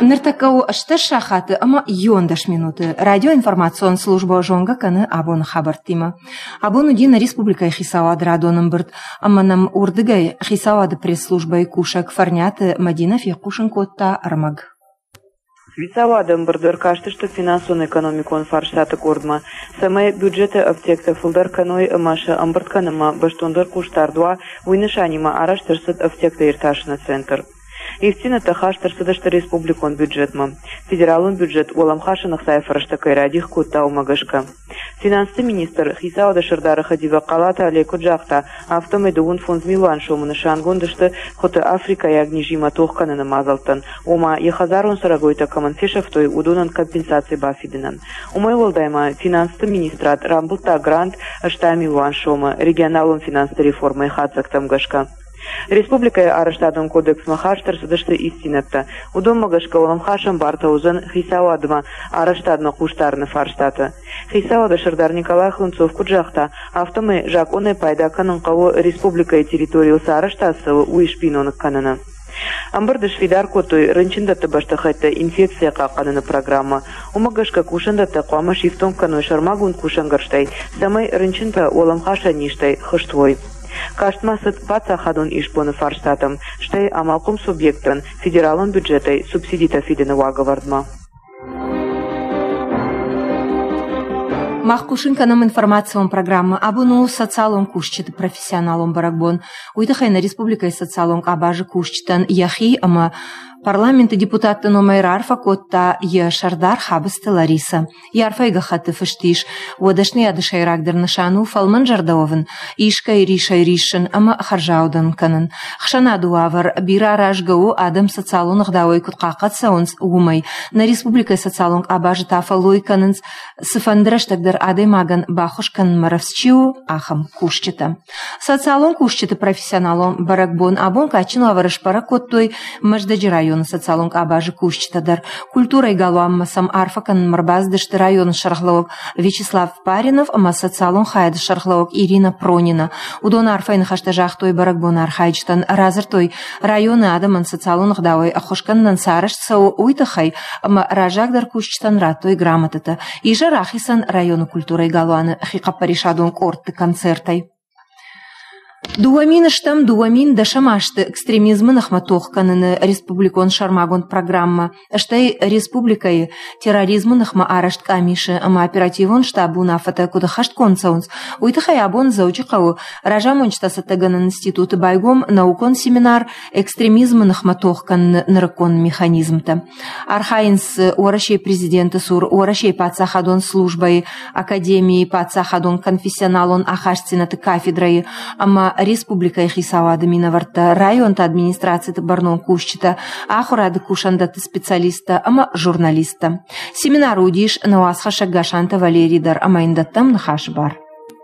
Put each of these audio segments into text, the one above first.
Ныртӕккӕ у 18 сахаты ӕмӕ 11 минуты. Радиоинформацион службӕ зонгӕ кӕны абоны хабӕрттимӕ. Абон уыди нӕ республикӕйы хицауады радон ӕмбырд, ӕмӕ нӕм уырдыгӕй хицауады пресс-службӕйы кусӕг Фӕрниаты Мӕдинӕ фехъусын кодта ӕрмӕг. Хицауады ӕмбырды ӕркастысты финансон-экономикон фарстаты къордмӕ, цӕмӕй бюджеты ӕфтиӕгтӕ фылдӕр кӕной ӕмӕ сӕ ӕмбырд кӕнынмӕ бӕстондӕр хъусдард уа, уый нысанимӕ арӕзт ӕрцыд ӕфтиӕгтӕ иртасыны центр. Ивддзинӕдтӕ хаст ӕрцыдысты республикон бюджетмӕ. Федералон бюджет уӕлӕмхасӕн ӕхцайы фӕрӕзтӕ кӕй радих кодта, уымӕ гӕсгӕ. Финансты министр, хицауады сӕрдары хӕдивӕг Хъалаты Олег куыд загъта, афтӕмӕй 55 милуан сомы нысангонд сты хуыты африкӕйаг низимӕ тох кӕныны мадзӕлттӕн, ома йӕ хӕдзарон цӕрӕгойтӕ кӕмӕн фесӕфтой, уыдонӕн компенсаци бафидынӕн. Уымӕй уӕлдай ма финансты министрад рамбылдта грант 80 милуан сомы регионалон финансты реформӕйы хатдзӕгтӕм гӕсгӕ. Республикӕйы арӕзтадон кодексмӕ хаст ӕрцыдысты ивддзинӕдтӕ. Уыдонмӕ гӕсгӕ уӕлӕмхасӕн бартӕ уыдзӕн хицауадмӕ арӕзтадмӕ хъусдарыны фарстаты. Хицауады сӕрдар Николай Хлынцов куыд загъта, афтӕмӕй закъонӕй пайда кӕнын хъӕуы республикӕйы территорийыл цы арӕзтад цӕуы, уый сбиноныг кӕныны. Ӕмбырды сфидар кодтой рынчындӕтты бӕстыхӕйттӕ инфекцийӕ хъахъхъӕныны программӕ. Уымӕ гӕсгӕ кусӕндӕттӕ хъуамӕ сифтонг кӕной сӕрмагонд кусӕнгӕрзтӕй, цӕмӕй рынчынтӕ уӕлӕмхасӕн низтӕй хызт уой. Каст ма цыд паддзахадон исбоны фарстатӕм, стӕй амалхъом субъекттӕн федералон бюджетӕй субсидитӕ фидыны уагӕвӕрдмӕ. Мах хъусын кӕнӕм информацион программӕ. Абон у социалон кусджыты профессионалон бӕрӕгбон. Уый тыххӕй нӕ республикӕйы социалон къабазы кусджытӕн йӕхи ӕмӕ парламенты депутатты номӕй раарфӕ кодта йӕ сӕрдар Хабысты Ларисӕ. Йӕ арфӕйы гӕххӕтты фыст ис, уӕ дӕсныйады сӕйрагдӕр нысан у фӕлмӕнзӕрдӕ уӕвын, искӕй рисӕй риссын ӕмӕ хӕрзаудӕн кӕнын. Хсӕнады уавӕр бирӕ аразгӕ у, адӕм социалон ӕгъдауӕй куыд хъахъхъӕд цӕуынц, уымӕй. Нӕ республикӕйы социалон къабазы та фӕллой кӕнынц, цыфӕнды рӕстӕг дӕр адӕймагӕн баххуыс кӕнынмӕ рӕвдз чи у, ахӕм кусджытӕ. Социалон кусджыты профессионалон бӕрӕгбон абон кадджын уавӕры сбӕрӕг кодтой Мӕздӕджы районы социалон къабазы кусджытӕ дӕр. Культурӕйы галуанмӕ сӕм арфӕ кӕнынмӕ ӕрбацыдысты районы сӕргълӕууӕг Вячеслав Паринов ӕмӕ социалон хайады сӕргълӕууӕг Ирина Пронина. Уыдон арфӕйы ныхӕстӕ загътой бӕрӕгбоны архайджытӕн, радзырдтой, районы адӕмӕн социалон ӕгъдауӕй ӕххуыс кӕнынӕн цы арӕзт цӕуы, уый тыххӕй ӕмӕ раззагдӕр кусджытӕн радтой грамотӕтӕ. Изӕр ахицӕн районы культурӕйы галуаны хихъӕппӕрисадон къордты концертӕй. 2010 азты экстремизмы ныхмӕ тох кӕныны республикон сӕрмагонд программӕ, стӕй республикӕйы терроризмы ныхмӕ арӕзт къамисы ӕмӕ оперативон штабы уынаффӕтӕ куыд ӕххӕстгонд цӕуынц, уый тыххӕй абон Дзӕуджыхъӕуы разамонджытӕ цӕттӕгӕнӕн институты байгом наукон семинар «Экстремизмы ныхмӕ тох кӕныны нырыккон механизмтӕ». Архайынц Уӕрӕсейы президенты цур Уӕрӕсейы паддзахадон службӕйы академийы паддзахадон конфессионалон ахастдзинӕдты кафедрӕйы ӕмӕ республикӕйы хицауады минӕвӕрттӕ, районты администрациты бӕрнон кусджытӕ, ахуырады кусӕндӕтты специалисттӕ ӕмӕ журналисттӕ. Семинары уыдис нӕ уацхӕссӕг Гасанты Валерий дӕр ӕмӕ йын дӕттӕм ныхасы бар.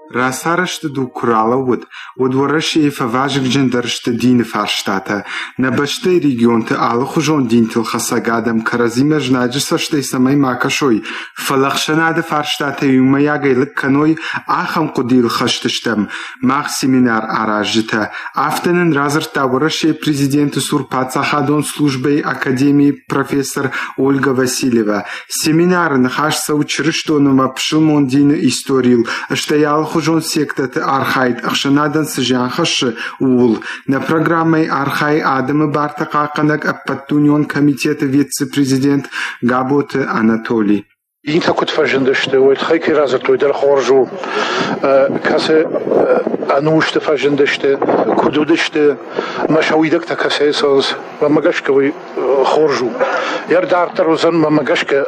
Рацарӕзты дуг куы ралӕууыд, уӕд Уӕрӕсейы фӕвазыгджындӕр сты дины фарстатӕ. Нӕ бӕстӕйы регионты алыхуызон динтыл хӕцӕг адӕм кӕрӕдзимӕ знаджы цӕстӕй цӕмӕй ма кӕсой, фӕлӕ ӕхсӕнады фарстатӕ иумӕйагӕй лыг кӕной, ахӕм хъуыдыйыл хӕст стӕм мах семинар аразджытӕ. Афтӕ нын радзырдта Уӕрӕсейы президенты цур паддзахадон службӕйы академийы профессор Ольга Васильева. Семинары ныхас цӕуы чырыстон ӕмӕ пысылмон дины историйыл, стӕй алыхуызон сектӕты архайд ӕхсӕнадӕн цы зиан хӕссы, ууыл. Нӕ программӕйы архайы адӕмы бартӕ хъахъхъӕнӕг ӕппӕтдунеон комитеты вице-президент Габоты Анатолий. Динтӕ куыд фӕзындысты, уый тыххӕй кӕй радзырдтой дӕр хорз у. Кӕцы ӕнусты фӕзындысты, куыд уыдысты, ӕмӕ сӕ уидӕгтӕ кӕцӕй цӕуынц, уымӕ гӕсгӕ уый хорз у. Йӕ дарддӕр уыдзӕн, мӕнмӕ гӕсгӕ,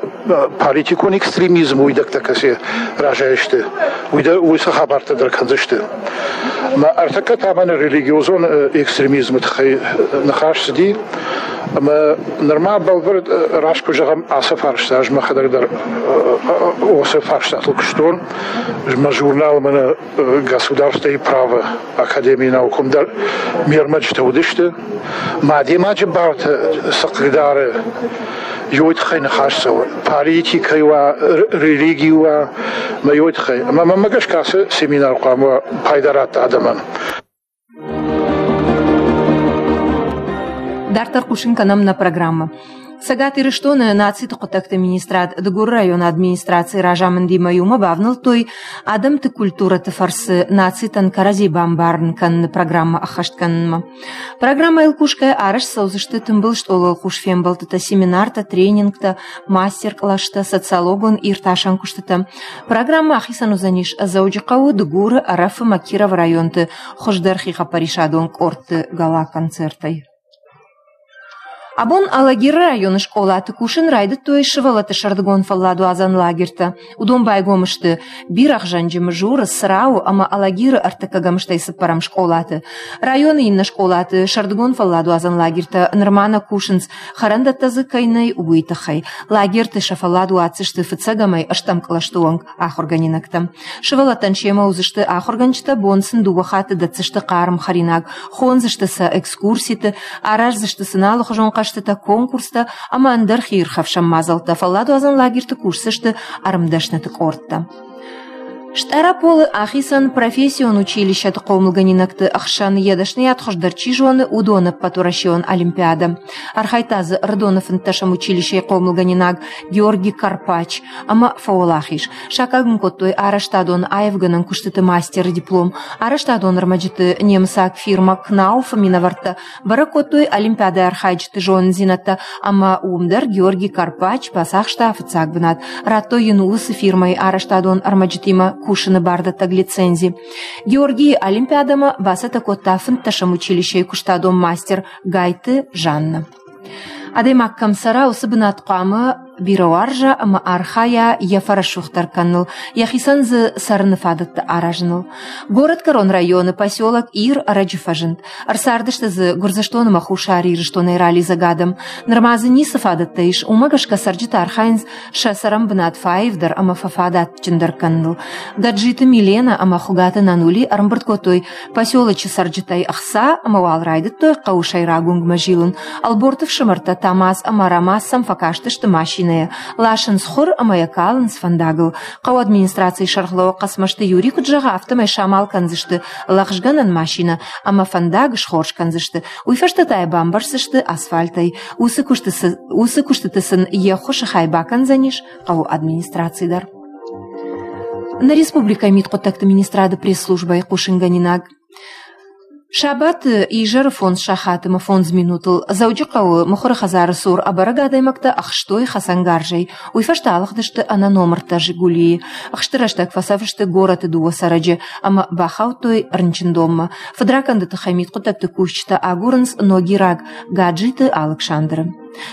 политикон экстремизм уидӕгтӕ кӕцы разӕй сты, уыцы хабӕрттӕ дӕр кӕндзысты. Мӕ ӕртӕккӕ та мӕнӕ религиозон экстремизмы тыххӕй ныхас цыди, ӕмӕ нырма бӕлвырд раст куы зӕгъӕм, ацы фарста ӕз мӕхӕдӕг дӕр уыцы фарстатыл куыстон. Мӕ журнал мӕнӕ Государствойы право академийы науком дӕр ме рмӕджытӕ уыдысты. Мӕ адӕймаджы бартӕ цы хъыгдары, уый тыххӕй ныхас цӕуы. Политикӕ уа, религи уа, мӕ уый тыххӕй. Ӕмӕ мӕнмӕ гӕсгӕ ацы семинар хъуамӕ пайда радта адӕмӕн. Дарддӕр хъусын кӕнӕм нӕ программӕ. Цӕгат Ирыстоны нациты хъуыддӕгты министрад Дыгуры районы администрацийы разамындимӕ иумӕ бавнӕлдтой адӕмты культурӕты фӕрцы нацитӕн кӕрӕдзи бамбарын кӕныны программӕ ӕххӕст кӕнынмӕ. Программӕйыл кусгӕйӕ арӕзт цӕудзысты тымбыл стъолыл хъус фембӕлдтытӕ, семинартӕ, тренингтӕ, мастер-къластӕ, социологон иртасӕн куыстытӕ. Программӕ ахицӕн уыдзӕнис Дзӕуджыхъӕуы, Дыгуры, Ӕрӕфы ӕмӕ Кировы районты хуыздӕр хихъӕппӕрисадон къордты гала-концертӕй. Абон Алагиры районы скъолаты кусын райдыдтой сывӕллӕтты сӕрдыгон фӕлладуадзӕн лагертӕ. Уыдон байгом сты Бирӕгъзӕнджы, Мызуры, Црауы ӕмӕ Алагиры ӕртыккӕгӕм стӕй цыппӕрӕм скъолаты. Районы иннӕ скъолаты сӕрдыгон фӕлладуадзӕн лагертӕ нырма нӕ кусынц, хӕрӕндӕттӕ дзы кӕй нӕй, уый тыххӕй. Лагерты сӕ фӕллад уадздзысты фыццӕгӕмӕй ӕстӕм кълӕсты онг ахуыргӕнинӕгтӕ. Сывӕллӕттӕн семӕ уыдзысты ахуыргӕнджытӕ, бон сын дыууӕ хатты дӕтдзысты хъарм хӕринаг, хондзысты сӕ экскурситы, араздзысты сын алыхуызон хъӕзтытӕ, конкурстӕ ӕмӕ ӕндӕр хиирхӕфсӕн мадзӕлттӕ. Фӕлладуадзӕн лагерты кусдзысты ӕрмдӕсныты къордтӕ. Стъараполы ахицӕн профессион училищӕты хъомылгӕнинӕгты ӕхсӕн йӕ дӕсныйад хуыздӕр чи зоны, уыдоны ӕппӕтуӕрӕсеон олимпиадӕ. Архайдта дзы Ӕрыдоны фынддӕсӕм училищӕйы хъомылгӕнинаг Георгий Карпач ӕмӕ фӕуӕлахиз. Саккаг ын кодтой арӕзтадон аивгӕнӕн куыстыты мастеры диплом. Арӕзтадон ӕрмӕджыты немыцаг фирмӕ Кнауф-ы минӕвӕрттӕ бӕрӕг кодтой олимпиадӕйы архайджыты зонындзинӕдтӕ ӕмӕ уым дӕр Георгий Карпач бацахста фыццаг бынат. Радтой йын уыцы фирмӕйы арӕзтадон ӕрмӕджытимӕ кусыны бардӕттӕг лицензи. Георгийы олимпиадӕмӕ бацӕттӕ кодта фынддӕсӕм училищейы куыстадон мастер Гайты Жанна. Адӕймаг кӕм цӕра, уыцы бынат хъуамӕ бирӕ уарза ӕмӕ архайа йӕ фӕрӕсугъддӕр кӕныныл, йӕхицӕн дзы цӕрыны фадӕттӕ аразыныл. Горӕтгӕрон районы поселок Ир ӕрӕджы фӕзынд. Ӕрцардысты дзы Гуырдзыстон ӕмӕ Хуссар Ирыстонӕй ралидзӕг адӕм. Нырма дзы ницы фадӕттӕ ис, уымӕ гӕсгӕ цӕрджытӕ архайынц сӕ цӕрӕн бынат фӕаивдӕр ӕмӕ фӕфадатджындӕр кӕныныл. Гаджиты Милена ӕмӕ Хуыгаты Нанули ӕрӕмбырд кодтой Поселочы цӕрджытӕй ӕхца ӕмӕ уал райдыдтой хъӕуы сӕйраг уынгмӕ зилын. Ӕлборты фсымӕртӕ Тамаз ӕмӕ Рамаз сӕм фӕкастысты машинӕйӕ. Ласынц хуыр ӕмӕ йӕ калынц фӕндагыл. Хъӕуы администрацийы сӕргълӕууӕг Хъӕцмӕзты Юрий куыд зӕгъы, афтӕмӕй самал кӕндзысты лӕгъзгӕнӕн машинӕ ӕмӕ фӕндаг схорз кӕндзысты. Уый фӕстӕ та йӕ бамбӕрздзысты асфальтӕй. Уыцы куыстыты сын йе ххуысы хай бакӕндзӕнис хъӕуы администраци дӕр. Нӕ республикӕйы мидхъуыддӕгты министрады пресс-службӕйы хъусынгӕнинаг. Сабаты изӕры фондз сахаты ӕмӕ фондз минутыл Дзӕуджыхъӕуы мыхуыры хӕдзары цур ӕбӕрӕг адӕймӕгтӕ ӕхстой хӕцӕнгарзӕй. Уый фӕстӕ алыгъдысты ӕнӕномыртӕ «Жигули-йы». Ӕхсты рӕстӕг фӕцӕф сты горӕты дыууӕ цӕрӕджы ӕмӕ бахаудтой рынчындонмӕ. Фыдракӕнды тыххӕй мидхъуыддӕгты кусджытӕ агурынц ногираг Гаджиты Алыксандры.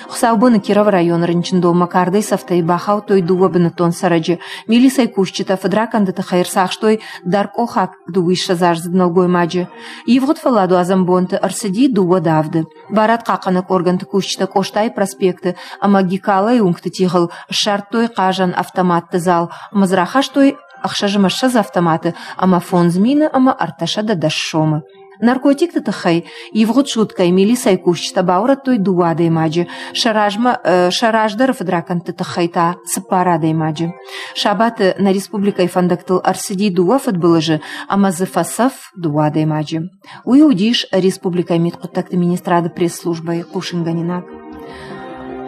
Хуыцаубоны Кировы районы рынчындонмӕ кардӕй цӕфтӕй бахаудтой дыууӕ бынӕттон цӕрӕджы. Милицӕйы кусджытӕ фыдракӕнды тыххӕй ӕрцахстой даркъохаг дыууиссӕдзаздзыд нӕлгоймаджы. Ивгъуыд фӕлладуадзӕн бонты ӕрцыди дыууӕ давды. Барадхъахъхъӕнӕг органты кусджытӕ Къостайы проспекты ӕмӕ Гикалайы уынгты тигъыл ссардтой хъазӕн автоматты зал ӕмӕ дзы рахастой 26 автоматы ӕмӕ 5000 ӕмӕ 310 сомы. Наркотикты тыххӕй ивгъуыд суткӕйы милицӕйы кусджытӕ баурӕдтой дыууӕ адӕймаджы, сӕ размӕ сӕ раздӕры фыдракӕндты тыххӕй та цыппар адӕймаджы. Сабаты нӕ республикӕйы фӕндӕгтыл ӕрцыди дыууӕ фыдбылызы ӕмӕ дзы фӕцӕф дыууӕ адӕймаджы. Уый уыдис республикӕйы мидхъуыддӕгты министрады пресс-службӕйы хъусынгӕнинаг.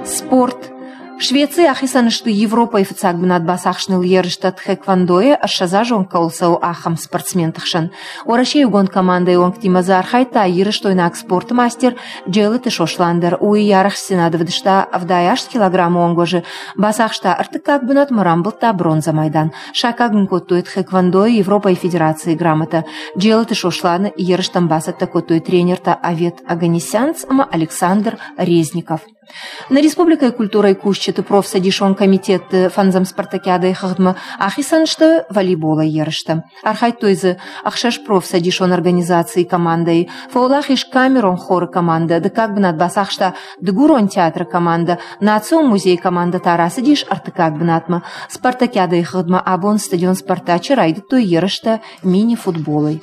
Спорт. Швецийы ахицӕн сты Европӕйы фыццаг бынат бацахсыныл ерыстӕ тхэквондойы ӕссӕдзазон кӕуыл цӕуы, ахӕм спортсменты хсӕн. Уӕрӕсейы иугонд командӕйы уӕнгтимӕ дзы архайдта ирыстойнаг спорты мастер Джелыты Сослан дӕр. Уый йӕ арӕхстдзинад ӕвдыста 78 килограммы онг уӕзы, бацахста ӕртыккаг бынат ӕмӕ рамбылдта бронзӕ майдан. Саккаг ын кодтой тхэквондойы Европӕйы Федерацийы грамотӕ. Джелыты Сосланы ерыстӕм бацӕттӕ кодтой тренертӕ Авет Аганесянц ӕмӕ Александр Резников. Нӕ республикӕйы культурӕйы кусджыты профцӕдисон комитетты фӕндзӕм спартакиадӕйы хыгъдмӕ ахицӕн сты волейболӕй ерыстӕ. Архайдтой дзы ӕхсӕз профцӕдисон организацийы командӕйы. Фӕуӕлахиз камерон хоры командӕ, дыккаг бынат бацахста Дыгурон театры командӕ, Национ музейы командӕ та рацыдис ӕртыккаг бынатмӕ. Спартакиадӕйы хыгъдмӕ абон стадион Спартачы райдыдтой ерыстӕ мини-футболӕй.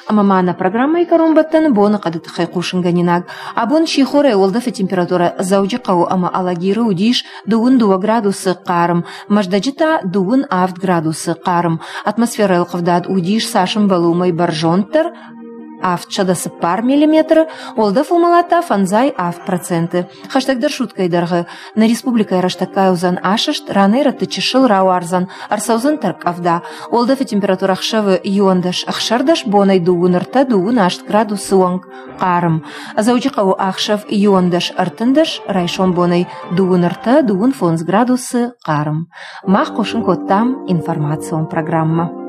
Ӕмӕ ма нӕ программӕйы кӕронбӕттӕны боныхъӕды тыххӕй хъусынгӕнинаг. Абон сихорӕй уӕлдӕфы температурӕ Дзӕуджыхъӕуы ӕмӕ Алагиры уыдис 22 градусы хъарм, Мӕздӕджы та 27 градусы хъарм. Атмосферӕйыл хъывдад уыдис цас ӕмбӕлы, уымӕй бӕрзонддӕр. 704 миллиметры, уӕлдӕф уымӕлад та 57%. Хӕстӕгдӕр суткӕйы дӕргъы нӕ республикӕйы рӕстӕггай уыдзӕн асӕст, ранӕй-рӕтты чысыл рауардзӕн, ӕрцӕудзӕн тӕрккъӕвда. Уӕлдӕфы температурӕ ӕхсӕвы 11-16, бонӕй 23-28 градусы онг хъарм. Дзӕуджыхъӕуы ӕхсӕв 11-13, райсом бонӕй 23-25 градусы хъарм. Мах хъусын кодтам информацион программӕ.